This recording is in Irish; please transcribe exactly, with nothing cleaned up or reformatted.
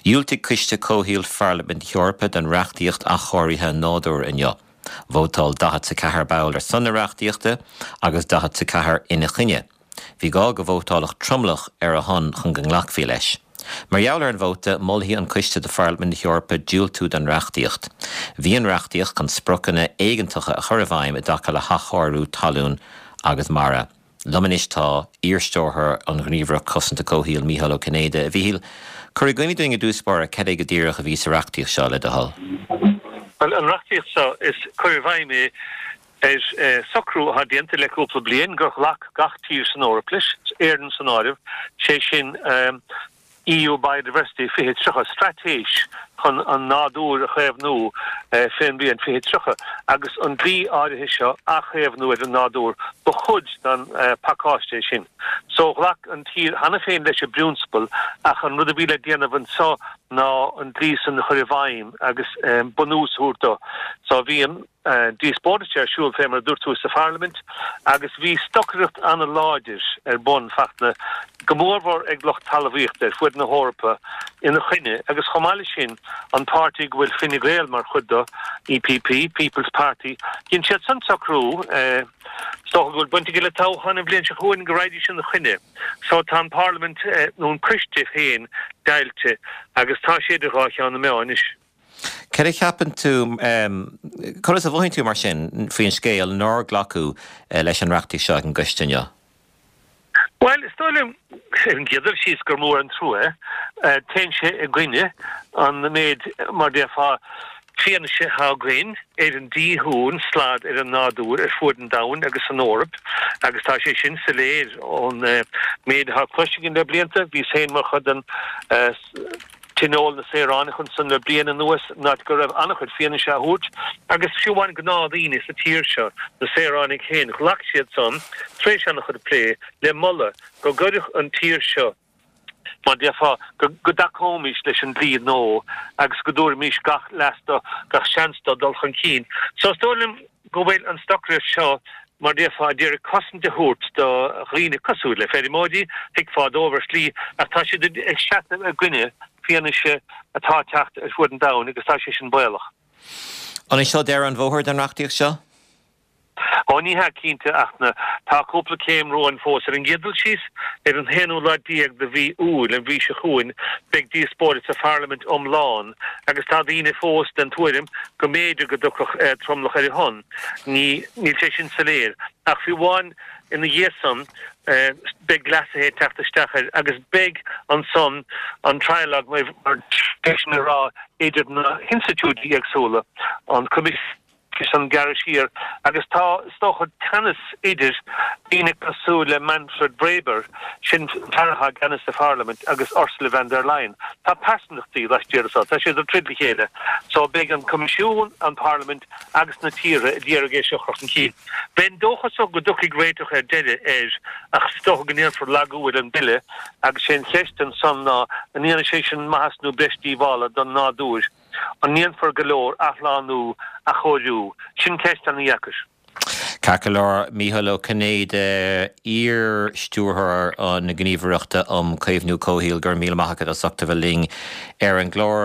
Dhiúltaigh Coiste Comhshaoil Pharlaimint na hEorpa don reachtaíocht athchóirithe nádúir inniu. Vótáil daichead a ceathair ball ar son na reachtaíochta agus daichead a ceathair ina coinne. Bhí gá go vótálfadh tromlach ar a shon chun go nglacfaí leis. Mar gheall ar an vóta molfaidh an coiste do Pharlaimint na hEorpa diúltú don reachtaíocht. Bhí an reachtaíocht chun spriocanna éigeantacha a chur i bhfeidhm i dtaca le hathchóiriú talún agus mara. Liom anois tá iar-stiúrthóir an Ghníomhaireacht Cosanta Comhshaoil Mícheál Ó Cinnéide a Mhíchíl cuir i gcuimhne dúinn i dtús báire cad é go díreach a bhí sa reachtaíocht seo le do thoil. Well an reachtaíocht seo is cur i bhfeidhm é ar eh, socrú atá déanta le cúpla bliain gur ghlac gach tír san Eoraip leis Éirinn san áireamh sé sin um, EU Biodiversity fiche tríocha straitéis chun an nádúr a chaomhnú eh, fén mbliain fiche tríocha agus an dlí áirithe seo a chaomhnú ar an nádúr ba chuid den eh, pacáiste sin. So ghlac an tír cheana féin leis an bprionsabal ach an rud a bhí le déanamh anseo ná an dlí san chur i bhfeidhm agus um, bunús a thabhairt dó. So bhí an uh, díospóireacht ar siúl fé mar dúirt tú sa Pharlaimint agus bhí stocaireacht an-láidir ar bun fachna go mórmhór ag lucht talmhaíochta ar fud na hEorpa ina choinne agus chomh maith sin an páirtí go bhfuil Fine Gael mar chuid de EPP People's Party Dhein siad san socrú eh, so go bhfuil baint le toghchán an bhliain seo chugainn go raghaidís ina choinne. So tá an Parliament eh, nó an coiste féin deighilte agus tá sé idir dhá cheann na meá anois. Cé a cheapann tú conas a mhothaíonn tú mar sin faoin scéal nár glacadh eh, leis an reachtaíocht seo an gcoiste inniu. Well is dóigh liom an chéad dul síos gur mór an trua eh, téann sé i gcoinne an méid mar déarfá fianaise atá againn ar an díothú an slad ar an nádúr ar fud an domhain agus san Eoraip agus tá sé sin soiléir ón uh, méid atá cloiste againn le blianta bhí féin mar chuid den uh, Tionól na Saoránach ansan le bliain anuas ná go raibh an-chuid fianaise á thabhairt agus fiú amháin gnáthdhaoine sa tír seo na saoránaigh féin ghlac siad san tar éis an-chuid plé le moladh go gcuirfeadh an tír seo mar déarfá go go dtacóimis leis an dlí nua agus go dtabharfaimis gach leas dó gach seans dó dul chun cinn. So is dóigh liom go bhfuil an stocaireacht seo mar déarfá ag iarraidh cosaint a thabhairt do dhaoine cosúil le feirmeoirí thuigfeá dóibh ar shlí ach tá siad ag seasamh i gcoinne fianaise atá ag teacht ar fud an domhain agus tá sé sin baolach. An é seo deireadh an bhóthair den reachtaíocht seo? Ó ní hea cinnte ach na tá cúpla céim romhainn fós ar an gcéad dul síos ar an haonú lá déag de mhí Iúil an mhí seo chugainn beidh díospóireacht sa Pharlaimint iomlán agus tá daoine fós den tuairim go mb'fhéidir go dtiocfadh eh, tromlach ar a shon. Ní níl sé sin soiléir ach fiú amháin ina dhiaidh san eh, beidh leasuithe ag teacht isteach air agus beidh ansan an trialogue mar mar a rá idir na hinstitiúidí éagsúla an Coimisiún an gearradh siar agus tá is dócha teannas idir daoine cosúil le Manfred Weber sin fear atá i gceannas sa Pharlaimint agus Ursula von der Leyen. Tá pearsantachtaí laistiar so tá siad ag troid le chéile, so beidh an Coimisiún an Parlaimint agus na tíortha ag iarraidh é seo a chur chun cinn. Bheinn dóchasach go dtiocfaidh réiteach ar deireadh air ach is dócha go ndéanfar lagú ar an bille agus sé an cheist ansan ná an ndéanfaidh sé sin maitheas nó breis díobhála don nádúr. An ndéanfar go leor athshlánú athchóiriú sin ceist an-dheacair. Ceart go leor Mícheál Ó Cinnéide iar-stiúrthóir an Ghníomhaireachta um Caomhnú Comhshaoil go raibh míle maith agat as ucht a bheith linn ar an gclár.